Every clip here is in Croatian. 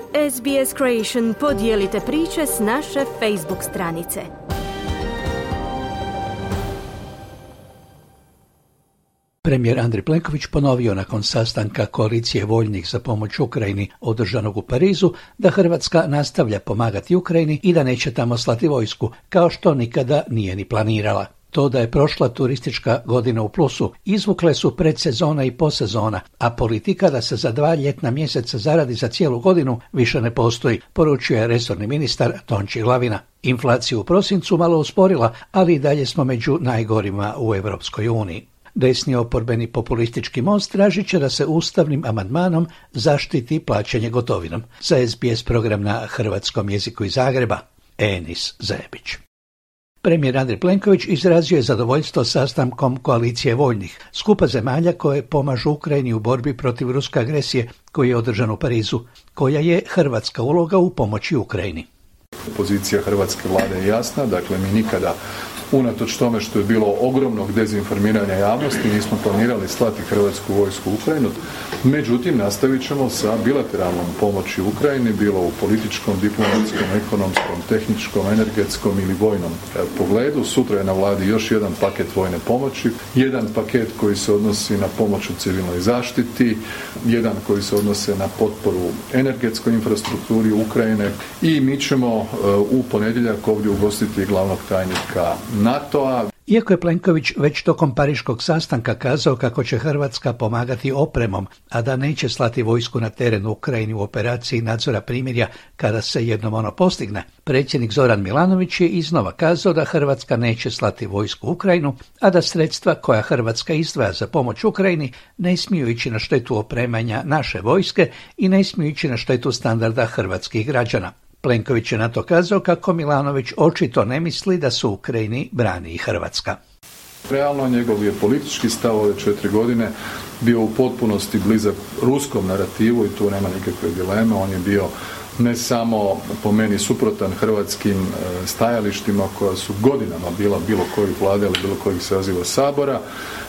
SBS Creation podijelite priče s naše Facebook stranice. Premijer Andrej Plenković ponovio nakon sastanka koalicije voljnih za pomoć Ukrajini održanog u Parizu da Hrvatska nastavlja pomagati Ukrajini i da neće tamo slati vojsku, kao što nikada nije ni planirala. To da je prošla turistička godina u plusu izvukle su predsezona i posezona, a politika da se za 2 ljetna mjeseca zaradi za cijelu godinu više ne postoji, poručuje resorni ministar Tonči Glavina. Inflaciju u prosincu malo usporila, ali i dalje smo među najgorima u Europskoj uniji. Desni oporbeni populistički most tražit će da se ustavnim amandmanom zaštiti plaćanje gotovinom. Za SBS program na hrvatskom jeziku iz Zagreba, Enis Zebić. Premijer Andrej Plenković izrazio je zadovoljstvo sastankom koalicije voljnih, skupa zemalja koje pomažu Ukrajini u borbi protiv ruske agresije koji je održan u Parizu. Koja je hrvatska uloga u pomoći Ukrajini? Pozicija hrvatske vlade je jasna, dakle mi nikada, unatoč tome što je bilo ogromnog dezinformiranja javnosti, nismo planirali slati hrvatsku vojsku u Ukrajinu. Međutim, nastavit ćemo sa bilateralnom pomoći Ukrajini, bilo u političkom, diplomatskom, ekonomskom, tehničkom, energetskom ili vojnom pogledu. Sutra je na vladi još jedan paket vojne pomoći, jedan paket koji se odnosi na pomoć u civilnoj zaštiti, jedan koji se odnose na potporu energetskoj infrastrukturi Ukrajine i mi ćemo u ponedjeljak ovdje ugostiti glavnog tajnika NATO-a. Iako je Plenković već tokom pariškog sastanka kazao kako će Hrvatska pomagati opremom, a da neće slati vojsku na teren u Ukrajini u operaciji nadzora primirja kada se jednom ono postigne, predsjednik Zoran Milanović je iznova kazao da Hrvatska neće slati vojsku u Ukrajinu, a da sredstva koja Hrvatska izdvaja za pomoć Ukrajini ne smiju ići na štetu opremanja naše vojske i ne smiju ići na štetu standarda hrvatskih građana. Plenković je na to kazao kako Milanović očito ne misli da su u Ukrajini brani i Hrvatska. Realno njegov je politički stav ove 4 godine bio u potpunosti blizak ruskom narativu i tu nema nikakve dileme. On je bio ne samo po meni suprotan hrvatskim stajalištima koja su godinama bila bilo kojih vlade ili bilo kojih saziva Sabora,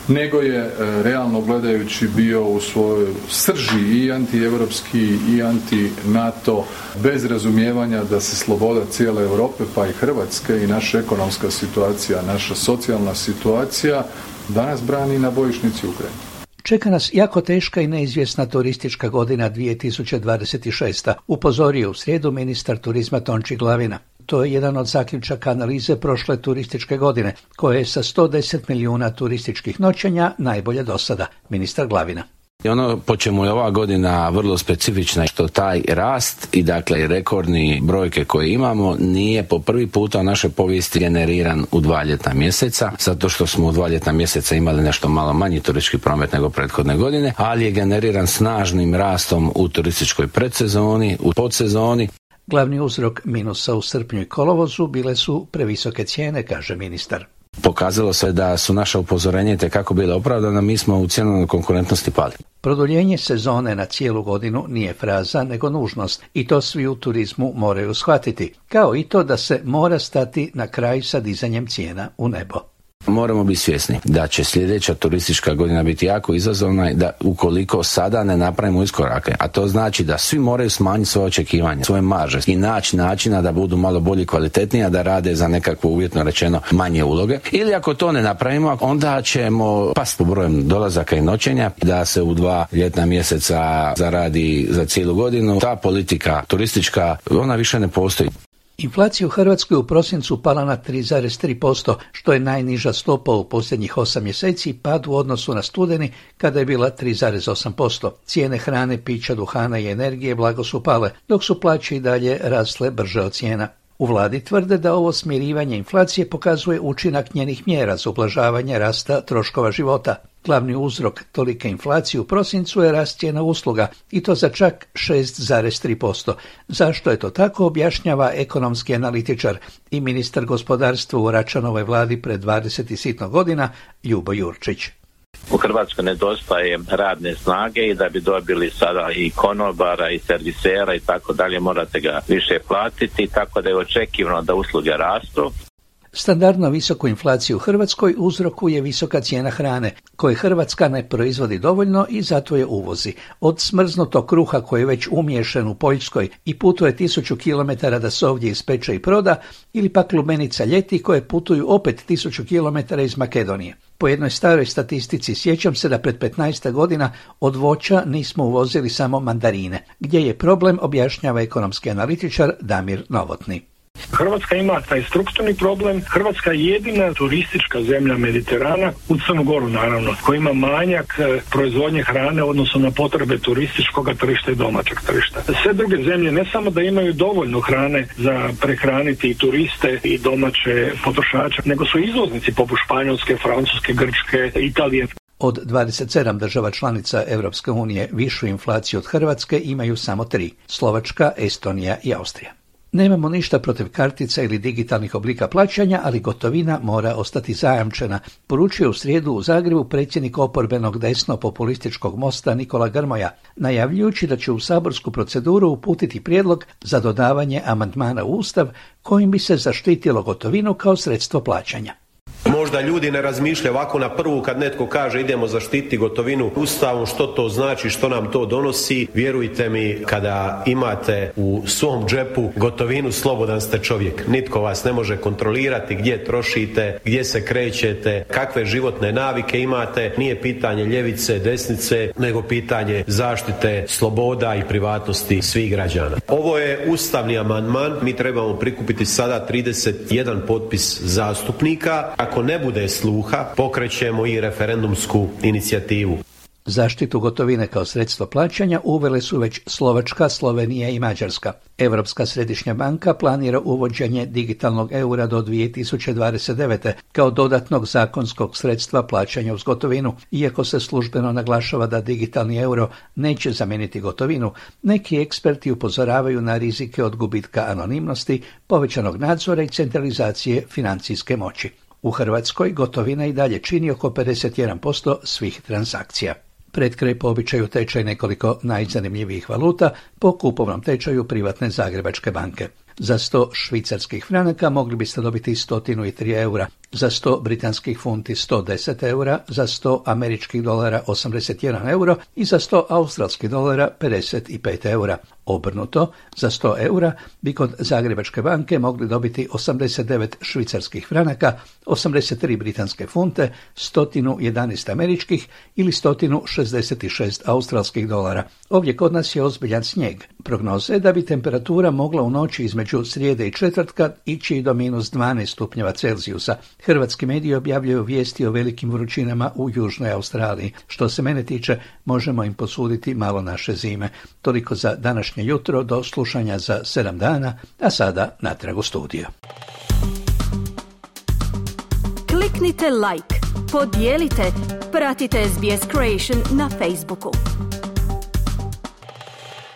nego je realno gledajući bio u svojoj srži i antievropski i anti-NATO, bez razumijevanja da se sloboda cijele Europe pa i Hrvatske i naša ekonomska situacija, naša socijalna situacija danas brani na bojišnici Ukrajine. Čeka nas jako teška i neizvjesna turistička godina 2026. upozorio u srijedu ministar turizma Tonči Glavina. To je jedan od zaključaka analize prošle turističke godine, koja je sa 110 milijuna turističkih noćenja najbolje do sada, ministar Glavina. I ono po čemu je ova godina vrlo specifična, što taj rast i dakle rekordni brojke koje imamo nije po prvi puta u našoj povijesti generiran u 2 ljetna mjeseca, zato što smo u 2 ljetna mjeseca imali nešto malo manji turistički promet nego prethodne godine, ali je generiran snažnim rastom u turističkoj predsezoni, u podsezoni. Glavni uzrok minusa u srpnju i kolovozu bile su previsoke cijene, kaže ministar. Pokazalo se da su naša upozorenja itekako bile opravdana, mi smo u cjenovnoj konkurentnosti pali. Produljenje sezone na cijelu godinu nije fraza nego nužnost i to svi u turizmu moraju shvatiti, kao i to da se mora stati na kraj sa dizanjem cijena u nebo. Moramo biti svjesni da će sljedeća turistička godina biti jako izazovna i da ukoliko sada ne napravimo iskorake, a to znači da svi moraju smanjiti svoje očekivanja, svoje marže i naći načina da budu malo bolji, kvalitetniji, a da rade za nekakvo uvjetno rečeno manje uloge. Ili ako to ne napravimo, onda ćemo pasti po brojem dolazaka i noćenja, da se u 2 ljetna mjeseca zaradi za cijelu godinu. Ta politika turistička, ona više ne postoji. Inflacija u Hrvatskoj u prosincu pala na 3,3%, što je najniža stopa u posljednjih 8 mjeseci, pad u odnosu na studeni kada je bila 3,8%. Cijene hrane, pića, duhana i energije blago su pale, dok su plaće i dalje rasle brže od cijena. U vladi tvrde da ovo smirivanje inflacije pokazuje učinak njenih mjera za ublažavanje rasta troškova života. Glavni uzrok tolike inflacije u prosincu je rast cijena usluga i to za čak 6,3%. Zašto je to tako, objašnjava ekonomski analitičar i ministar gospodarstva u Račanovoj vladi pred 20 i sitno godina Ljubo Jurčić. U Hrvatskoj nedostaje radne snage i da bi dobili sada i konobara i servisera i tako dalje morate ga više platiti, tako da je očekivano da usluge rastu. Standardno visoku inflaciju u Hrvatskoj uzrokuje visoka cijena hrane, koje Hrvatska ne proizvodi dovoljno i zato je uvozi. Od smrznutog kruha koji je već umiješan u Poljskoj i putuje 1000 km da se ovdje ispeče i proda, ili pak lubenica ljeti koje putuju opet 1000 km iz Makedonije. Po jednoj staroj statistici sjećam se da pred 15 godina od voća nismo uvozili samo mandarine. Gdje je problem, objašnjava ekonomski analitičar Damir Novotny. Hrvatska ima taj strukturni problem. Hrvatska je jedina turistička zemlja Mediterana, u Crnu Goru naravno, koja ima manjak proizvodnje hrane odnosno na potrebe turističkog tržišta i domaćeg tržišta. Sve druge zemlje ne samo da imaju dovoljno hrane za prehraniti i turiste i domaće potrošače, nego su izvoznici poput Španjolske, Francuske, Grčke, Italije. Od 27 država članica Europske unije višu inflaciju od Hrvatske imaju samo 3, Slovačka, Estonija i Austrija. Nemamo ništa protiv kartica ili digitalnih oblika plaćanja, ali gotovina mora ostati zajamčena, poručio u srijedu u Zagrebu predsjednik oporbenog desno-populističkog Mosta Nikola Grmoja, najavljujući da će u saborsku proceduru uputiti prijedlog za dodavanje amandmana u Ustav kojim bi se zaštitilo gotovinu kao sredstvo plaćanja. Možda ljudi ne razmišljaju ovako na prvu kad netko kaže idemo zaštititi gotovinu Ustavom, što to znači, što nam to donosi. Vjerujte mi, kada imate u svom džepu gotovinu, slobodan ste čovjek. Nitko vas ne može kontrolirati gdje trošite, gdje se krećete, kakve životne navike imate. Nije pitanje ljevice, desnice, nego pitanje zaštite sloboda i privatnosti svih građana. Ovo je ustavni amandman, mi trebamo prikupiti sada 31 potpis zastupnika. Ako ne bude sluha, pokrećemo i referendumsku inicijativu. Zaštitu gotovine kao sredstvo plaćanja uvele su već Slovačka, Slovenija i Mađarska. Europska središnja banka planira uvođenje digitalnog eura do 2029. kao dodatnog zakonskog sredstva plaćanja uz gotovinu. Iako se službeno naglašava da digitalni euro neće zamijeniti gotovinu, neki eksperti upozoravaju na rizike od gubitka anonimnosti, povećanog nadzora i centralizacije financijske moći. U Hrvatskoj gotovina i dalje čini oko 51% svih transakcija. Pred kraj po običaju tečaj nekoliko najzanimljivijih valuta po kupovnom tečaju privatne Zagrebačke banke. Za 100 švicarskih franaka mogli biste dobiti 103 eura, za 100 britanskih funti 110 eura, za 100 američkih dolara 81 euro i za 100 australskih dolara 55 eura. Obrnuto, za 100 eura bi kod Zagrebačke banke mogli dobiti 89 švicarskih franaka, 83 britanske funte, 111 američkih ili 166 australskih dolara. Ovdje kod nas je ozbiljan snijeg. Prognoze je da bi temperatura mogla u noći između srijede i četvrtka ići do minus 12 stupnjeva Celzijusa. Hrvatski mediji objavljaju vijesti o velikim vrućinama u Južnoj Australiji. Što se mene tiče, možemo im posuditi malo naše zime. Toliko za današnje jutro, do slušanja za 7 dana, a sada natrag u studio. Kliknite like, podijelite, pratite SBS Creation na Facebooku.